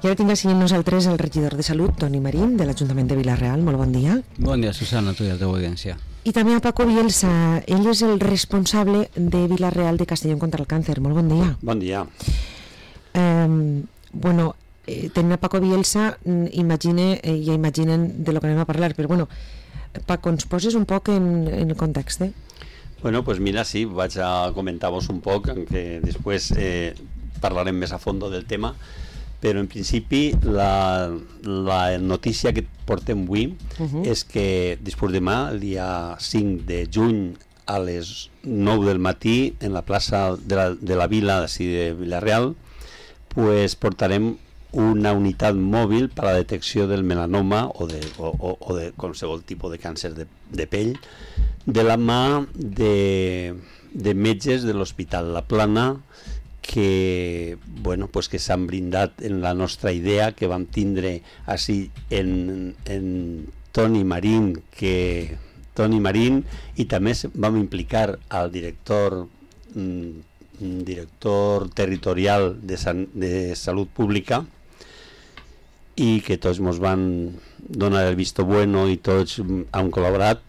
I ara tinc així amb nosaltres el regidor de Salut, Toni Marín, de l'Ajuntament de Vila-real. Molt bon dia. Bon dia, Susana, tu i la teva audiència. I també a Paco Bielsa, ell és el responsable de Vila-real de Castellón contra el càncer. Molt bon dia. Bon dia. Tenint a Paco Bielsa, ja imaginen de lo que anem a parlar, però bueno, Paco, ens poses un poc en el context, Bueno, pues mira, sí, vaig a comentar-vos un poc, aunque després parlarem més a fondo del tema, però en principi la notícia que portem avui és que després demà, el dia 5 de juny, a les 9 del matí, en la plaça de la Vila de Vila-real, pues portarem una unitat mòbil per a la detecció del melanoma o de qualsevol tipus de càncer de pell, de la mà de metges de l'Hospital La Plana que s'han brindat en la nostra idea que vam tindre així en Toni Marín, i també vam implicar al director territorial de Salut Pública, i que tots ens van donar el visto bueno i tots han col·laborat,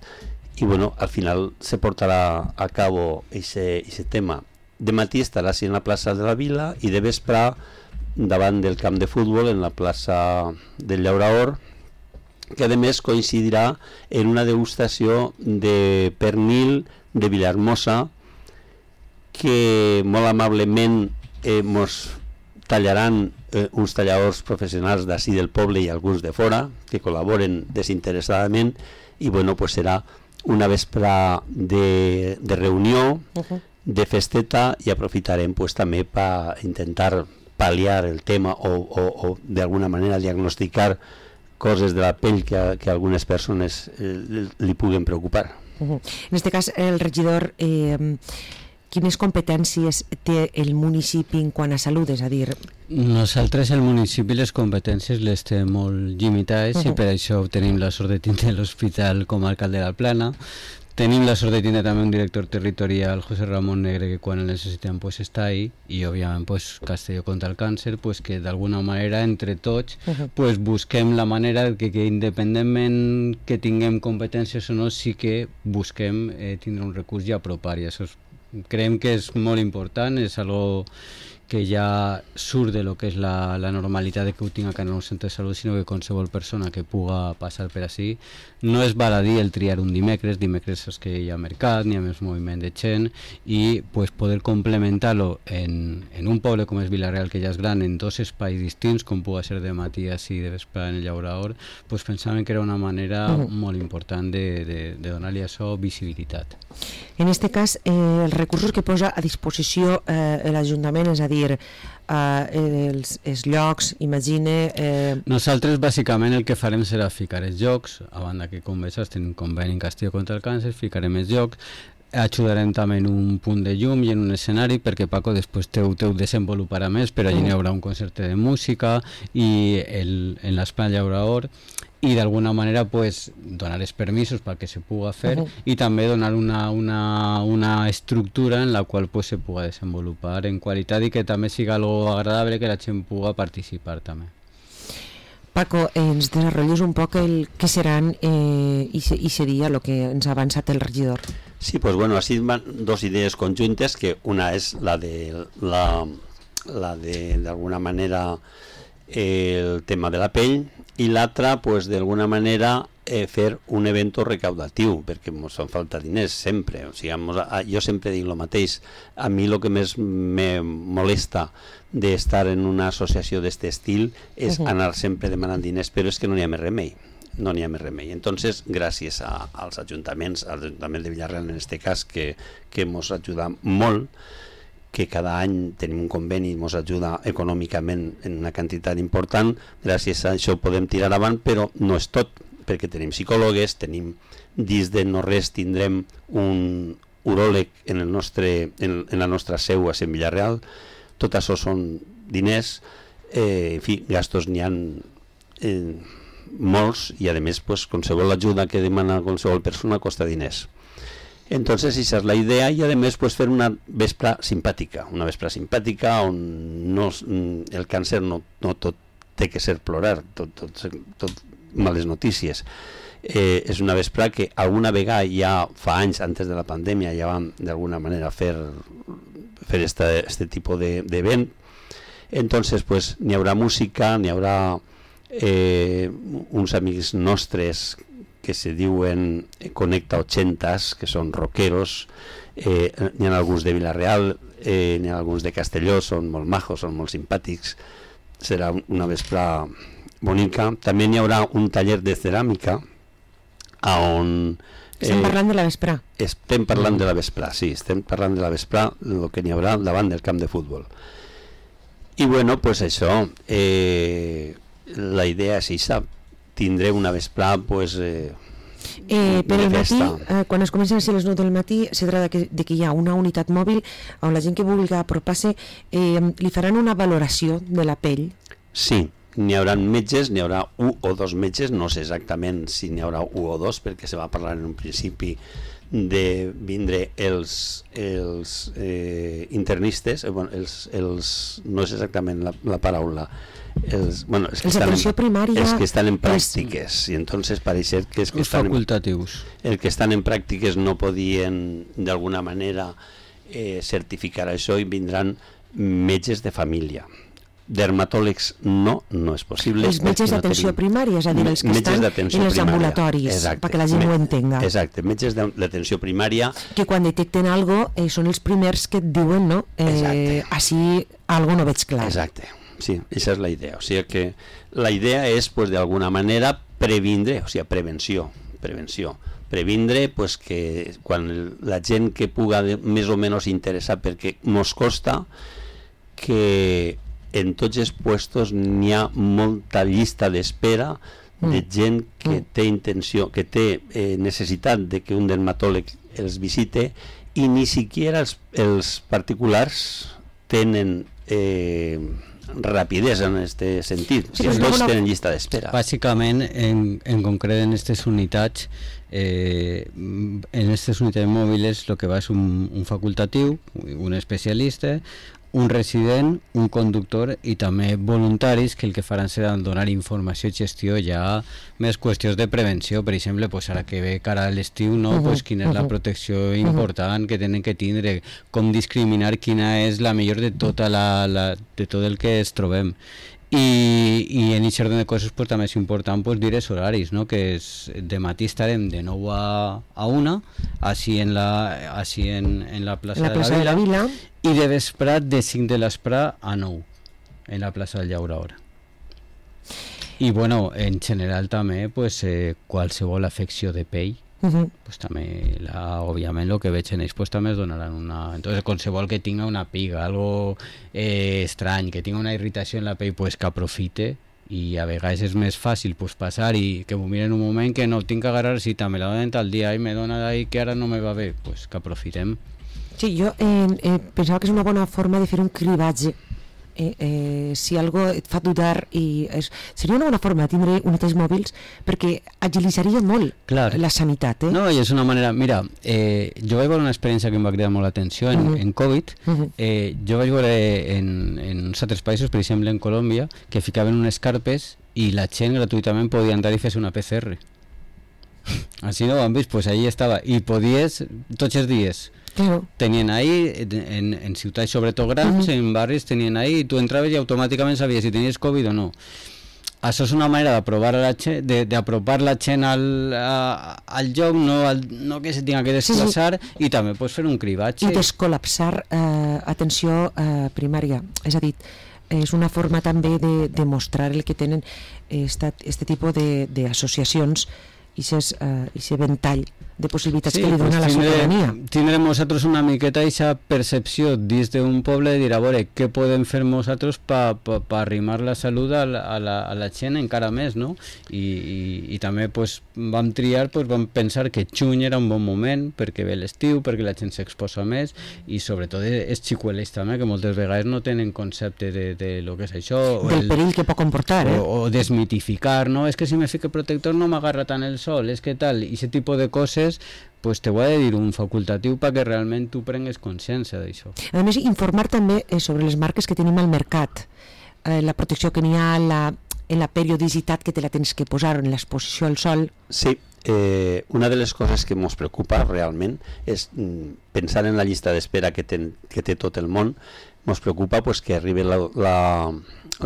i al final se portarà a cabo ese tema. De matí estarà en la plaça de la Vila i de vespre davant del camp de futbol en la plaça del Llauraor, que a més coincidirà en una degustació de pernil de Vilahermosa que molt amablement ens tallaran uns talladors professionals d'ací del poble i alguns de fora que col·laboren desinteressadament, i serà una vespre de reunió, de festeta, i aprofitarem també per intentar pal·liar el tema o d'alguna manera diagnosticar coses de la pell que algunes persones li puguen preocupar. En aquest cas, el regidor, quines competències té el municipi en quant a salut? És a dir... Nosaltres, el municipi, les competències les té molt limitades i per això tenim la sort de tindre l'Hospital Comarcal de la Plana. Tenim la sort de tindre també un director territorial, José Ramón Negre, que quan el necessitem està ahí, i òbviament Castelló contra el càncer, que d'alguna manera entre tots busquem la manera que independentment que tinguem competències o no, sí que busquem tindre un recurs i apropar, i això creiem que és molt important, és algo que ja surt de lo que és la normalitat de que ho tinc a cada un centre de salut, sinó que qualsevol persona que puga passar per així. No és baladí el triar un dimecres és que hi ha mercat, n'hi ha més moviment de gent, i poder complementar-lo en un poble com és Vila-real, que ja és gran, en dos espais distints, com pugui ser de matí així de vespre en el Llauraor, pensàvem que era una manera molt important de donar-li a això visibilitat. En aquest cas, els recursos que posa a disposició l'Ajuntament, és a dir, els llocs, imagine... Nosaltres bàsicament el que farem serà ficar els llocs, a banda que com veus tenim conveni en Castelló contra el càncer, ficarem els llocs, ajudarem també en un punt de llum i en un escenari, perquè Paco després ho desenvoluparà més, però allí hi haurà un concert de música i en l'espai Llauraor, i d'alguna manera donar els permisos perquè se pugui fer i també donar una estructura en la qual se pugui desenvolupar en qualitat i que també siga algo agradable, que la gent pugui participar també. Paco, ens desenvolupes un poc el que seran i seria el que ens ha avançat el regidor. Sí, així van dos idees conjuntes, que una és la de d'alguna manera el tema de la pell, i l'altra, d'alguna manera, fer un evento recaudatiu, perquè ens fan falta diners sempre. O sigui, jo sempre dic el mateix. A mi el que més me molesta d'estar en una associació d'aquest estil és anar sempre demanant diners, però és que no n'hi ha més remei. No n'hi ha més remei. Entonces, gràcies als ajuntaments, al Ajuntament de Vila-real en aquest cas, que ens ajuda molt, que cada any tenim un conveni i ens ajuda econòmicament en una quantitat important, gràcies a això podem tirar avant, però no és tot, perquè tenim psicòlogues, dins de no res tindrem un uròleg en la nostra seu a Sant Vila-real. Tot això són diners, en fi, gastos n'hi ha molts, i a més qualsevol ajuda que demana qualsevol persona costa diners. Entonces esa es la idea, y además fer una vespra simpàtica on el càncer no tot té que ser plorar, tot males notícies. És una vesprada que alguna vegada ja fa anys, antes de la pandèmia, ja vam d'alguna manera fer este tipus d'event. Entonces, pues, n'hi haurà música, n'hi haurà uns amics nostres que se diuen Connecta 80s, que són rockeros, n'hi ha alguns de Vila-real, n'hi ha alguns de Castelló, són molt majos, són molt simpàtics, serà una vesprada bonica. També n'hi haurà un taller de ceràmica on... Estem parlant de la vesprà. Estem parlant de la vesprà, sí, estem parlant de la vesprà, el que n'hi haurà davant del camp de futbol. I bueno, pues això, la idea és això, tindré una vesprà, pues... per el matí, quan es comencen a ser les 9 del matí, se tracta de que hi ha una unitat mòbil on la gent que vulgui apropar-se li faran una valoració de la pell. Sí, n'hi haurà metges, n'hi haurà 1 o 2 metges, no sé exactament si n'hi haurà 1 o 2, perquè se va parlar en un principi de vindre els internistes, bueno, no és exactament la paraula, els d'atenció primària, els que estan en pràctiques, i entonces pareix que els facultatius. Els que estan en pràctiques no podien d'alguna manera certificar això i vindran metges de família. Dermatòlegs no és possible. Els metges d'atenció primària, és a dir, els que estan en els ambulatoris, perquè la gent ho entenga. Exacte, metges d'atenció primària. Que quan detecten alguna cosa són els primers que et diuen, no? Així alguna no veig clar. Exacte, sí, aquesta és la idea. O sigui que la idea és, pues, d'alguna manera, previndre, o sigui, prevenció. Previndre, pues, que quan la gent que puga més o menys interessar, perquè mos costa que en tots els puestos n'hi ha molta llista d'espera de gent que té intenció, que té necessitat de que un dermatòleg els visite, i ni siquiera els particulars tenen rapidesa en aquest sentit. Si els dos tenen llista d'espera. Bàsicament, en concret en aquestes unitats, en aquestes unitats mòbiles el que va és un facultatiu, un especialista, un resident, un conductor i també voluntaris que el que faran serà donar informació i gestió ja més qüestions de prevenció, per exemple, pues ara que ve cara a l'estiu, no? Pues quina és la protecció important que tenen que tindre, com discriminar quina és la millor de tot el que es trobem. I en aquest ordre de coses pues, també és important pues, dir els horaris, no? Que és, de matí estarem de 9 a 1 així en la plaça de la Vila, i de vesprat de 5 de l'esprà a 9 en la plaça del Llaurador. I bueno, en general també pues, qualsevol afecció de pell, pues també òbviament el que veig en ells pues, també es donaran una... Entonces qualsevol que tinga una piga, algo estrany, que tinga una irritació en la pell, pues que aprofite, i a vegades és més fàcil pues, passar i que m'ho miren un moment que no tinc que agarrar cita, me la donen tal dia i me dona d'ahí que ara no me va bé, pues que aprofitem. Sí, jo pensava que és una bona forma de fer un cribatge. Si algo et fa dudar, seria una bona forma de tindre unitats mòbils perquè agilitzaria molt la sanitat. No, i és una manera... Mira, jo vaig veure una experiència que em va cridar molt l'atenció en Covid. Jo vaig veure en uns altres països, per exemple en Colòmbia, que ficaven unes carpes i la gent gratuïtament podia entrar i fer una PCR. Així no ho han vist, pues allí estava. I podies tots els dies. Claro. Tenien ahí, en ciutats sobretot grans, en barris tenien ahí, i tu entraves i automàticament sabies si tenies Covid o no. Això és una manera d'apropar la gent al lloc, no que se tinga que desplaçar, i també pots fer un cribatge. I descol·lapsar atenció primària. És a dir, és una forma també de mostrar el que tenen aquest tipus d'associacions i aquest ventall de possibilitats que li dona la ciutadania. Tindrem nosaltres una miqueta aquesta percepció dins d'un poble de dir, a veure, què podem fer nosaltres per arrimar la salut a la gent encara més, no? I també pues, vam triar, pues, vam pensar que juny era un bon moment perquè ve l'estiu, perquè la gent s'exposa més, i sobretot els xicuelets també, que moltes vegades no tenen concepte de lo que és això. Del perill que pot comportar, o desmitificar, no? És que si me fique protector no m'agarra tant el sol, és que tal, i aquest tipus de coses pues te ho ha de dir un facultatiu perquè realment tu prengues consciència d'això. A més, informar també sobre les marques que tenim al mercat, la protecció que n'hi ha, en la periodicitat que te la tens que posar, en l'exposició al sol. Sí, una de les coses que ens preocupa realment és pensar en la llista d'espera que té tot el món. Ens preocupa pues, que arribi la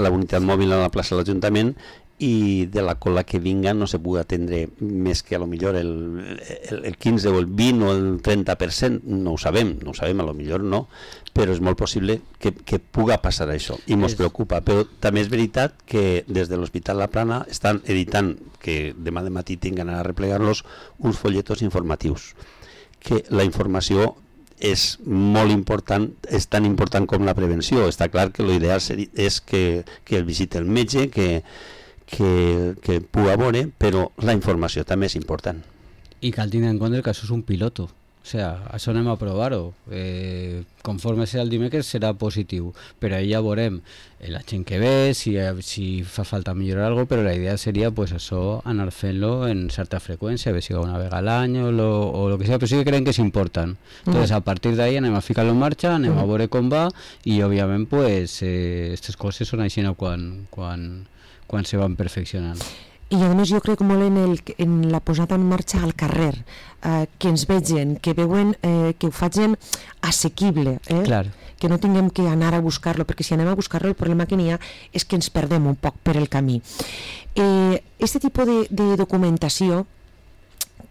unitat mòbil a la plaça de l'Ajuntament i de la cola que vinga no se pugui atendre més que a lo millor el 15 o el 20 o el 30%, no ho sabem, a lo millor no, però és molt possible que puga passar això i ens preocupa, però també és veritat que des de l'Hospital La Plana estan editant, que demà de matí tinguin a replegar-los, uns folletos informatius, que la informació és molt important, és tan important com la prevenció. Està clar que l'ideal és que el visiti el metge, que puga veure, però la informació també és important. I cal tenir en compte que això és un piloto. O sigui, això anem a provar-ho. Conforme serà el dimecres serà positiu, però ahí ja veurem la gent que ve, si fa falta millorar alguna cosa, però la idea seria pues, això, anar fent-lo en certa freqüència, a veure si una vegada a l'any o lo que sigui, però sí que creiem que és important. Entonces, a partir d'ahí anem a ficar-lo en marxa, anem a veure com va i, òbviament, pues, aquestes coses són així quan se van perfeccionant. I a més jo crec molt en la posada en marxa al carrer, que ens vegin, que veuen que ho facin assequible, que no tinguem que anar a buscar-lo, perquè si anem a buscar-lo el problema que n'hi ha és que ens perdem un poc per el camí. Este tipus de documentació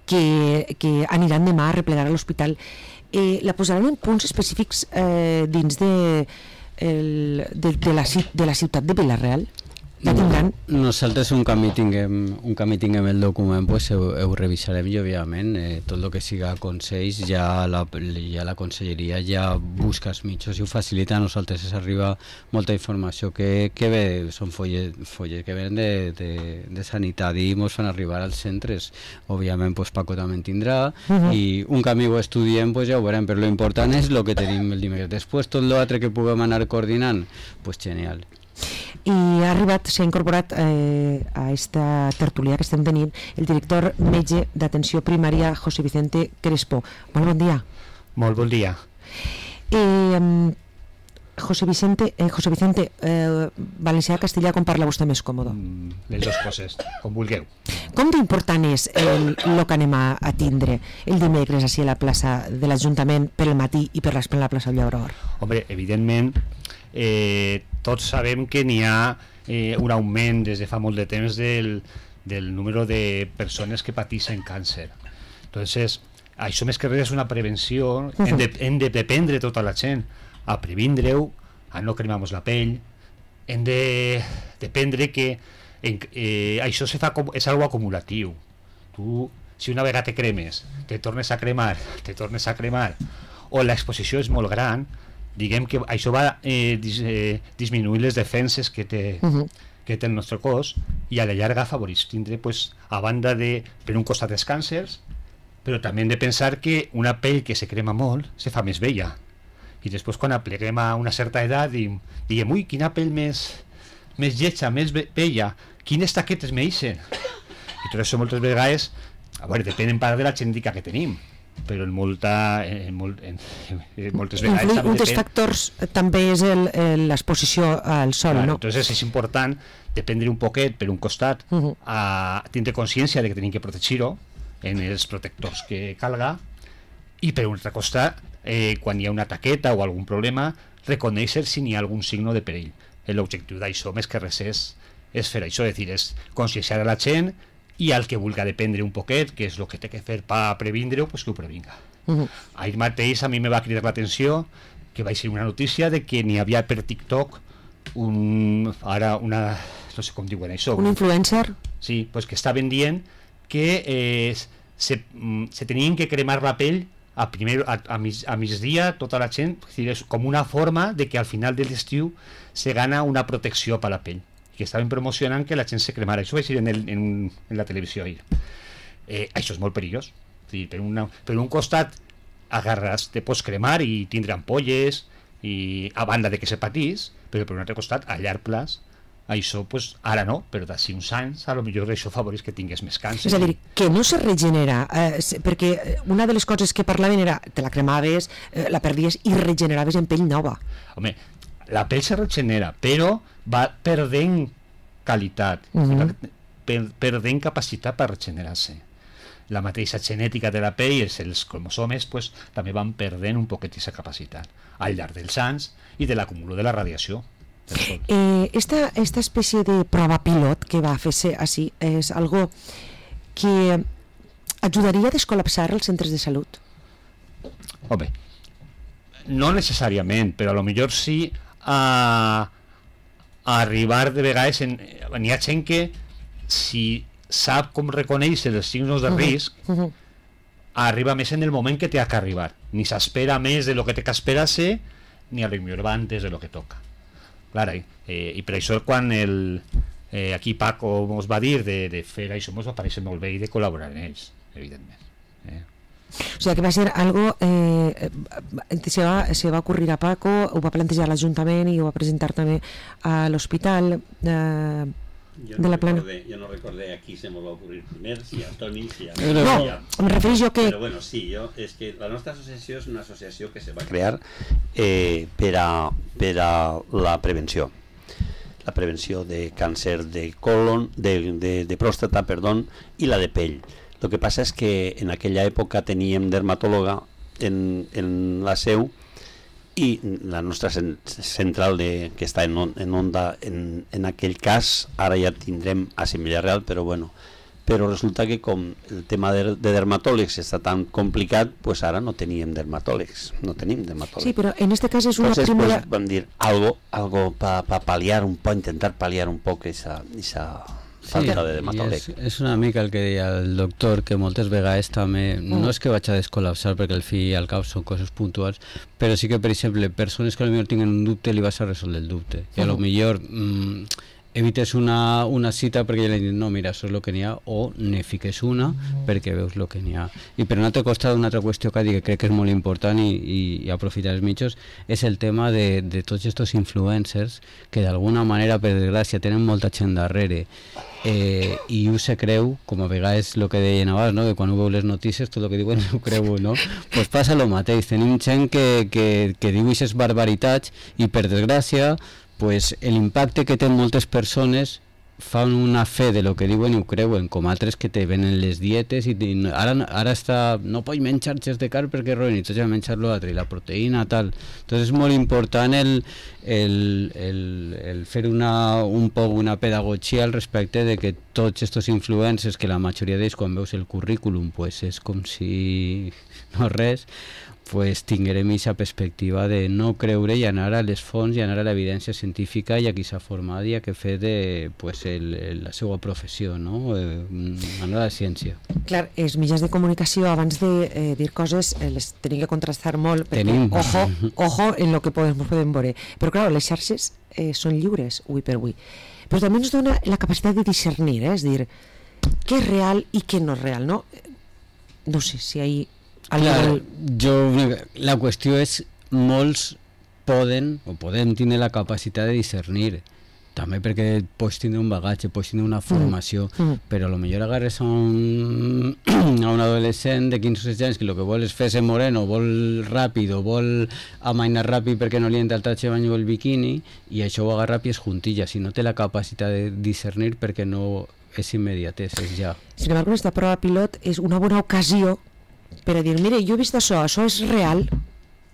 que aniran demà a replegar a l'hospital la posaran en punts específics dins de la ciutat de Vila-real? Nosaltres un camí tinguem el document pues ho revisarem i òbviament tot el que siga consells ja la conselleria ja busca els mitjans i ho facilita. A nosaltres ens arriba molta informació que ve, són folles que venen de sanitat i ens fan arribar als centres. Òbviament pues, Paco també en tindrà i un camí ho estudiem pues, ja ho veurem, però l'important és el que tenim el dimecres. Després tot l'altre que puguem anar coordinant, pues genial. I s'ha incorporat a esta tertúlia que estem tenint el director metge d'atenció primària José Vicente Crespo. Molt bon dia. Molt bon dia. José Vicente, valencià, castellà, com parla vostè més còmode? Les dues coses, com vulgueu. Com d'important és el que anem a tindre el dimecres així a la plaça de l'Ajuntament per el matí i per la plaça del Llaurador? Home, evidentment, tots sabem que n'hi ha un augment des de fa molt de temps del número de persones que pateixen càncer. Entonces, això més que res és una prevenció, hem de dependre tota la gent a previndre-ho, a no cremar-nos la pell, hem de dependre que això és algo acumulatiu. Tu, si una vegada te cremes, te tornes a cremar, o l'exposició és molt gran, diguem que això va disminuir les defenses que té el nostre cos i a la llarga afavoreix tindre, pues, a banda de, per un costat dels càncers, però també hem de pensar que una pell que se crema molt se fa més vella i després quan apleguem a una certa edat diguem, ui, quina pell més lletja, més vella, quines taquetes m'eixen, i tot això moltes vegades, a veure, depèn en part de la genètica que tenim, però moltes vegades un dels factors també és l'exposició al sol, claro, no? Entonces és important dependre un poquet per un costat a tindre consciència de que tenim que protegir-ho en els protectors que calga i per un altre costat quan hi ha una taqueta o algun problema reconèixer si n'hi ha algun signe de perill. L'objectiu d'això més que res és fer això, és conscienciar a la gent i al que vulgui dependre un poquet, que és el que té que fer per previndre-ho, pues que ho previnga. Ahir mateix a mi me va cridar l'atenció que vaig ser una notícia de que n'hi havia per TikTok no sé com diuen això. Un influencer? Sí, pues que estaven dient que se tenien que cremar la pell a migdia tota la gent, és com una forma de que al final de l'estiu se gana una protecció per la pell, que estaven promocionant que la gent se cremara. Això vaig dir en la televisió ahir. Això és molt perillós. Per un costat agarres, te pots cremar i tindre ampolles i a banda de que se patís, però per un altre costat a llarg plaç això, pues, ara no, però d'ací uns anys a lo millor això afavoreix que tingués més càncer. És a dir, que no se regenera, perquè una de les coses que parlaven era te la cremaves, la perdies i regeneraves en pell nova. Home, la pell se regenera, però va perdent qualitat, perdent capacitat per regenerar-se. La mateixa genètica de la pell, els cromosomes, pues, també van perdent un poquet aquesta capacitat al llarg dels anys i de l'acúmulo de la radiació. Esta especie de prova pilot que va fer-se així és algo que ajudaria a descol·lapsar els centres de salut? Home, no necessàriament, però a lo millor sí a arribar de vegades n'hi ha gent que si sap com reconèixer els signos de risc arriba més en el moment que té que arribar, ni s'espera més de lo que té que esperar-se ni a lo millor va antes de lo que toca. Clar, i per això quan aquí Paco ens va dir de fer això ens va parèixer molt bé i de col·laborar en ells, evidentment. O sigui que va ser algo se va ocurrir a Paco, ho va plantejar l'Ajuntament i ho va presentar també a l'hospital de la Plana. Jo no recordé a qui se m'ho va ocurrir primer, si a Toni, si a... No, em refereix jo que... Però bueno, sí, és que la nostra associació és una associació que se va crear per a la prevenció. La prevenció de càncer de colon, de pròstata, perdó, i la de pell. El que passa és que en aquella època teníem dermatòloga en la seu i la nostra central que està en Onda en aquell cas, ara ja tindrem a Villarreal, però bueno, però resulta que com el tema de dermatòlegs està tan complicat, pues ara no tenim dermatòlegs. Sí, però en este cas és una primera... Pues, vam dir, algo para paliar un poc, intentar paliar un poc esa falta de dermatòleg. És una mica el que deia el doctor, que moltes vegades també, no és que vaig a descol·lapsar perquè al fi i al cap són coses puntuals, però sí que, per exemple, persones que potser tinguen un dubte li vas a resoldre el dubte, i a lo millor evites una cita perquè ja li dius, no, mira, això és el que n'hi ha, o ne fiques una perquè veus el que n'hi ha. I per un altre costat, una altra qüestió que crec que és molt important i aprofitar els mitjos és el tema de tots aquests influencers que d'alguna manera, per desgràcia, tenen molta gent darrere i ho se creu, com a vegades el que deien abans, no? Que quan ho veu les notícies tot el que diuen ho creu, no? Pues passa el mateix, tenim gent que diu aquestes barbaritats i per desgràcia pues, l'impacte que tenen moltes persones fan una fe de lo que diuen i ho creuen, com altres que te venen les dietes i ara està, no pots menjar xers de carn perquè roben i tots a menjar l'altre i la proteïna tal. Entonces és molt important el fer un poc una pedagogia al respecte de que tots aquests influencers, que la majoria d'ells quan veus el currículum pues és com si no res, pues tinguem aquesta perspectiva de no creure i anar a les fonts i anar a l'evidència científica i a qui s'ha format i a què fer de pues, la seva professió, no? Anar a la ciència. Clar, els mitjans de comunicació abans de dir coses les tenim que contrastar molt perquè ojo en lo que podem veure, però clar, les xarxes són lliures avui per avui, però també ens dona la capacitat de discernir, és dir, què és real i què no és real, no? No sé si hi Clar, la qüestió és molts podem tindre la capacitat de discernir també perquè pots tindre un bagatge, pots tindre una formació, però a lo millor agarres a un adolescent de 15 o 16 anys que el que vol és fer-se moreno, vol ràpid o vol amainar ràpid perquè no li entra el tatxe de bany o el biquini i això ho agarra a pies juntillas i no té la capacitat de discernir perquè no és immediatès, és ja. Sin embargo, esta prova pilot és una bona ocasió per a dir, mire, jo he vist això és real,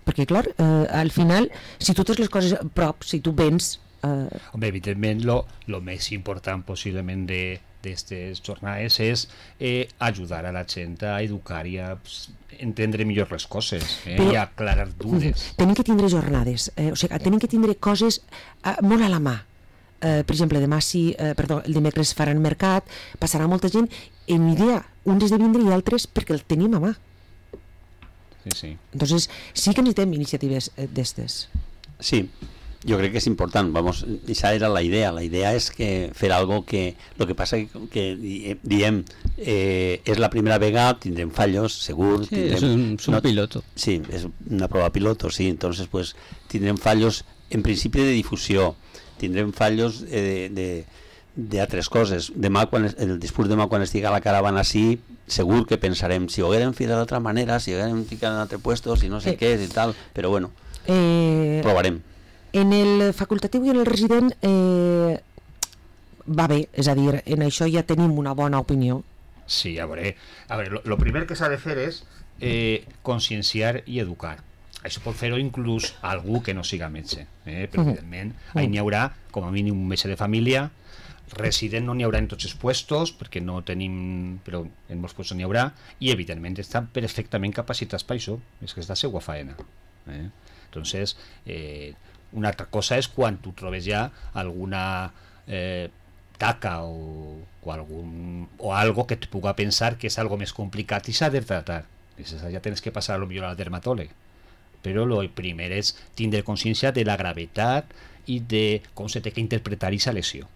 perquè clar, al final, si tu tens les coses a prop, si tu vens... Home, evidentment, lo més important possiblement d'aquestes jornades és ajudar a la gent a educar i a entendre millor les coses i a aclarar dubtes. Tenim que tindre jornades, o sigui, tenim que tindre coses molt a la mà. Per exemple, el dimecres faran mercat, passarà molta gent, en idea, uns has de vindre i altres perquè el tenim a mà. Sí. Entonces, sí que necessitem iniciatives d'estes. Sí, yo creo que es importante, esa era la idea es que fer algo que, lo que pasa que diem, es la primera vegada, tindrem fallos, segur. Sí, es un piloto. Sí, es una prueba piloto, sí, entonces pues tindrem fallos en principi de difusió, tindrem fallos de altres coses. Demà, el discurs demà quan estigui a la caravana sí, segur que pensarem si ho haguérem fet d'altra manera, si ho haguérem ficat en altre puesto, si no sé què i tal, però bueno, provarem. En el facultatiu i en el resident va bé, és a dir, en això ja tenim una bona opinió. Sí, a veure, lo primer que s'ha de fer és conscienciar i educar. Això pot fer-ho inclús algú que no siga metge, però evidentment n'hi haurà com a mínim un metge de família, resident no n'hi haurà en tots els puestos, perquè no tenim, però en molts puestos n'hi haurà, i evidentment estan perfectament capacitats per això, és que és la seva faena. Entonces, una altra cosa és quan tu trobes ja alguna taca o algo que te puga pensar que és algo més complicat i s'ha de tratar. Ja tens que passar a lo millor al dermatòleg. Però el primer és tindre consciència de la gravetat i de com se té que interpretar aquesta lesió.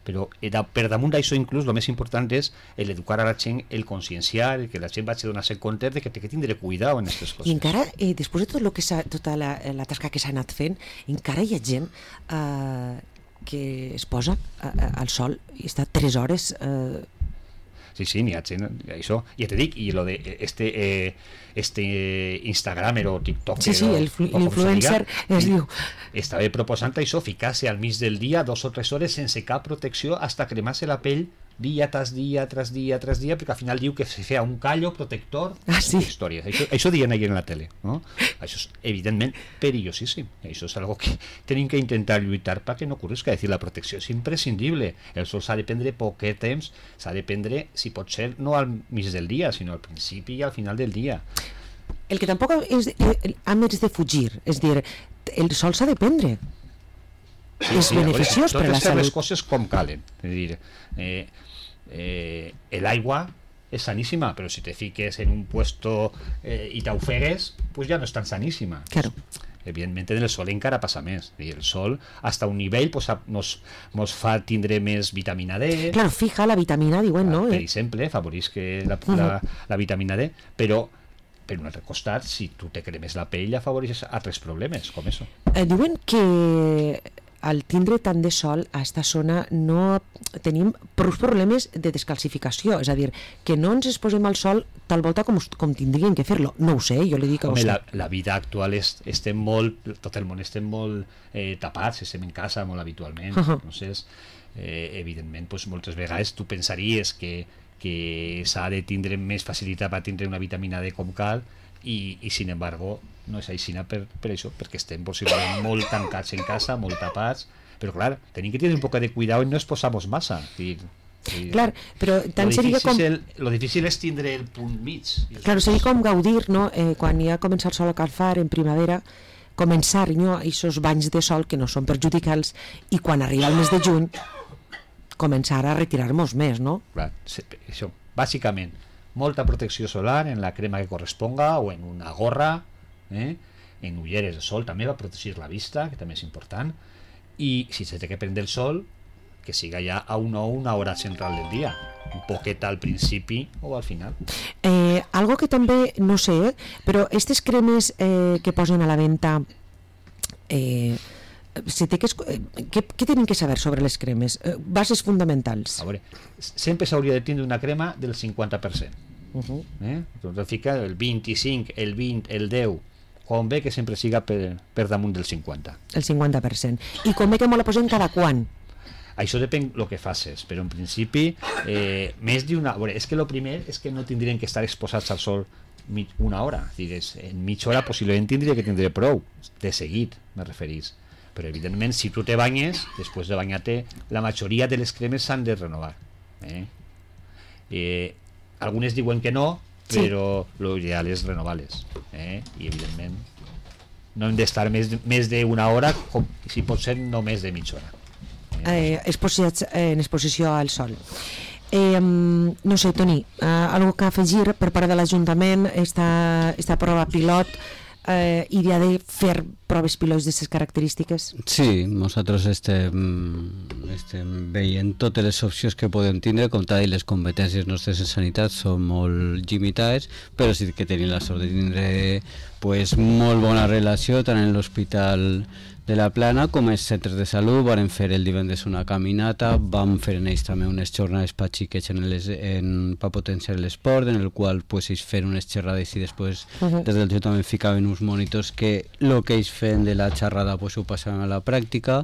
Però per damunt d'això inclús el més important és l'educar a la gent, el conscienciar, que la gent vagi a donar-se compte de que té que tindre cuidado en aquestes coses. I encara, després de tota la tasca que s'ha anat fent, encara hi ha gent que es posa al sol i està 3 hores... Sí, n'hi ha gent, això, ja te dic, i lo de este Instagramer o TikToker, sí, l'influencer es diu, estava proposant això, ficar-se al mig del dia 2 o 3 hores sense cap protecció hasta cremar-se la pell dia tras dia, perquè al final diu que se feia un callo protector, històries. Això diuen ahir en la tele, no? Això és evidentment perillosíssim. Això és algo que tenim que intentar lluitar perquè no ocorrisca. És a dir, la protecció és imprescindible. El sol s'ha de prendre poquet temps, s'ha de prendre, si pot ser, no al mig del dia, sinó al principi i al final del dia. El que tampoc és de fugir, és dir, el sol s'ha de prendre. És beneficiós per a la salut. Totes les coses com calen. És a dir, l'aigua és saníssima, però si te fiques en un puesto i t'ofegues, pues ja no és tan saníssima. Claro. Evidentment en el sol encara passa més. El sol, hasta un nivell, pues, nos fa tindre més vitamina D. Claro, fija la vitamina, diuen, no? Per exemple, afavorís que la vitamina D, però per un altre costat, si tu te cremes la pell, afavoreixes altres problemes, com això. Diuen que al tindre tant de sol a esta zona no tenim prou problemes de descalcificació, és a dir, que no ens exposem al sol tal volta com tindrien que fer-lo. No ho sé, jo li dic que ho sé. La vida actual estem molt, tot el món estem molt tapats, estem en casa molt habitualment, entonces evidentment moltes vegades tu pensaries que s'ha de tindre més facilitat per tindre una vitamina D com cal i sin embargo no és així per això, perquè estem possiblement molt tancats en casa, molt tapats, però clar, tenim que tenir un poc de cuidado i no exposar-nos massa. Clar, però tant seria com... Lo difícil és tindre el punt mig. Clar, seria com gaudir, no? Quan ja comença el sol a calfar en primavera, començar aquests banys de sol que no són perjudicals i quan arriba el mes de juny començar a retirar-nos més, no? Clar, això, bàsicament molta protecció solar en la crema que corresponga o en una gorra, en ulleres de sol també va protegir la vista, que també és important, i si se té que prendre el sol que siga ja a una hora central del dia, un poquet al principi o al final. Algo que també, no sé, però aquestes cremes que posen a la venda, què tenim que saber sobre les cremes? Bases fonamentals. A veure, sempre s'hauria de tindre una crema del 50%. Doncs fica el 25, el 20, el 10, com bé que sempre siga per damunt del 50. El 50%. I com bé que me la posem cada quan? Això depèn del que facis, però en principi més d'una... És que el primer és que no tindrien que estar exposats al sol una hora. En mitja hora possiblement tindria que tindre prou, de seguit, me referís. Però evidentment si tu te banyes, després de banyar-te, la majoria de les cremes s'han de renovar. Algunes diuen que no, però l'ideal és renovar-les. I evidentment no hem d'estar més d'una hora, com si pot ser no més de mitja hora. Exposats en exposició al sol. No sé, Toni, algo que afegir per part de l'Ajuntament, esta prova pilot, idea de fer proves pilots d'aquestes característiques? Sí, nosaltres estem veient totes les opcions que podem tindre, com tal, i les competències nostres en sanitat són molt limitades, però sí que tenim la sort de tindre molt bona relació tant en l'Hospital de la Plana com els centres de salut. Vam fer el divendres una caminata, vam fer en ells també unes jornades per xiquets per potenciar l'esport, en el qual ells fer unes xerrades i després des del Ajuntament ficaven uns monitors que el que ells feien de la xerrada ho passaven a la pràctica,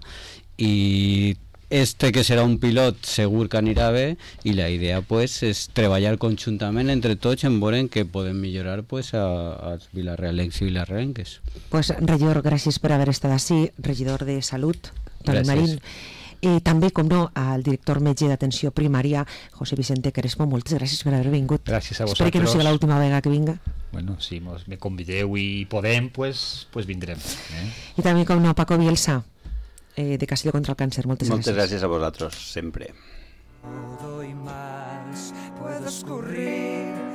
i este que serà un pilot segur que anirà bé i la idea pues, és treballar conjuntament entre tots en veure què podem millorar pues, als vilarrealencs i vilarrealenques. Pues, regidor, gràcies per haver estat així, regidor de Salut, Toni Marín. També, com no, al director metge d'atenció primària, José Vicente Crespo, moltes gràcies per haver vingut. Gràcies a vosaltres. Espero que no sigui l'última vegada que vinga. Bueno, si me convideu i podem, pues vindrem. I també, com no, Paco Bielsa, de Castelló contra el Càncer, moltes gràcies. Moltes gràcies a vosaltres, sempre. Todo y más puedo escurrir